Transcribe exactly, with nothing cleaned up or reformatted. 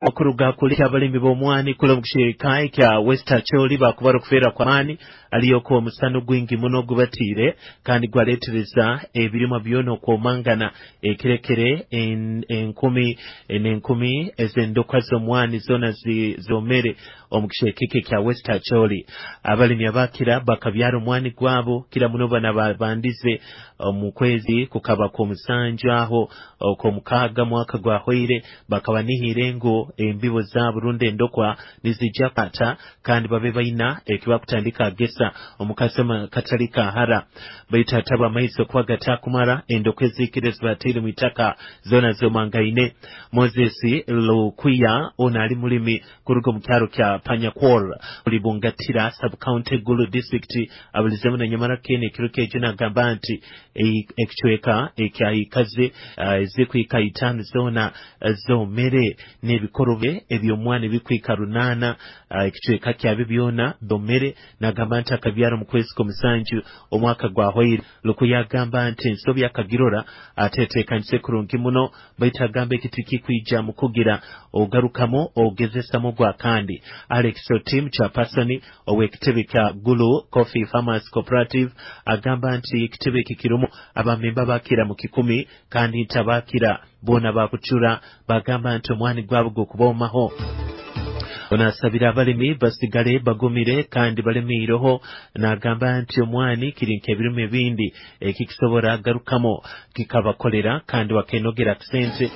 Okuruga kuli abalimi b'omwani kula omu kicweka kya West Acholi bakubara okufeerwa kw'amaani aliyoko omusana gwingi muno gubatiire kandi gwaleetereza ebirimwa byona okwomangana ekirekere en, enkumi n'enkumi ez'endokwa z'omwani zoona zomere omu kicweka eki ekya West Acholi. Abalimi abakira bakabyara omwani gwabo kira muno bana babandize omu kwezi kukaba kw'omusanju aho okw'omukaaga mwaka gwahwaire, bakaba nihire ngu embibo zaabo rundi endokwa nizijja kwata kandi babe baina ekibakutandika agesa omu kasema katali kahara, baitu hataba amaizi okuba gatakumara endokwa ezikire zibateire mu itaka zoona zomangaine. Moses Lukwiya ono ali mulimi kuruga omu kyaro kya Panyakwor Bungatira sub county Gulu district abulizemu na nyamara kene ekiro kyejo nagamba nti ekicweka ekyaikaze ezikwika itaano zoona zomere n'ebikorobe eby'omwana ebikwika runaana ekicweka kyabyo byona domere. Nagamba nti akabyara omu kwezi kw'omusanju omwaka gwahwaire. Lukuya agamba nti ensobi akagirora ateteekanise kurungi muno, baitu agamba ekiti kikwija mu kugira ogarukamu ogezesamu gwa kandi. Alex Otim chairperson ow'ekitebe kya Gulu Coffee Farmers Cooperative agamba nti ekitebe eki kirumu abamemba bakira mu kikumi kandi nti abakira boona bakucura bagamba nti omwani gwabo gukubomaho. Onasabira abalimi basigale bagumire kandi balemiireho, nagamba nti omwani kiri nk'ebirimo ebindi ekikisobora garukamo kikabakolera kandi bakenogera sente.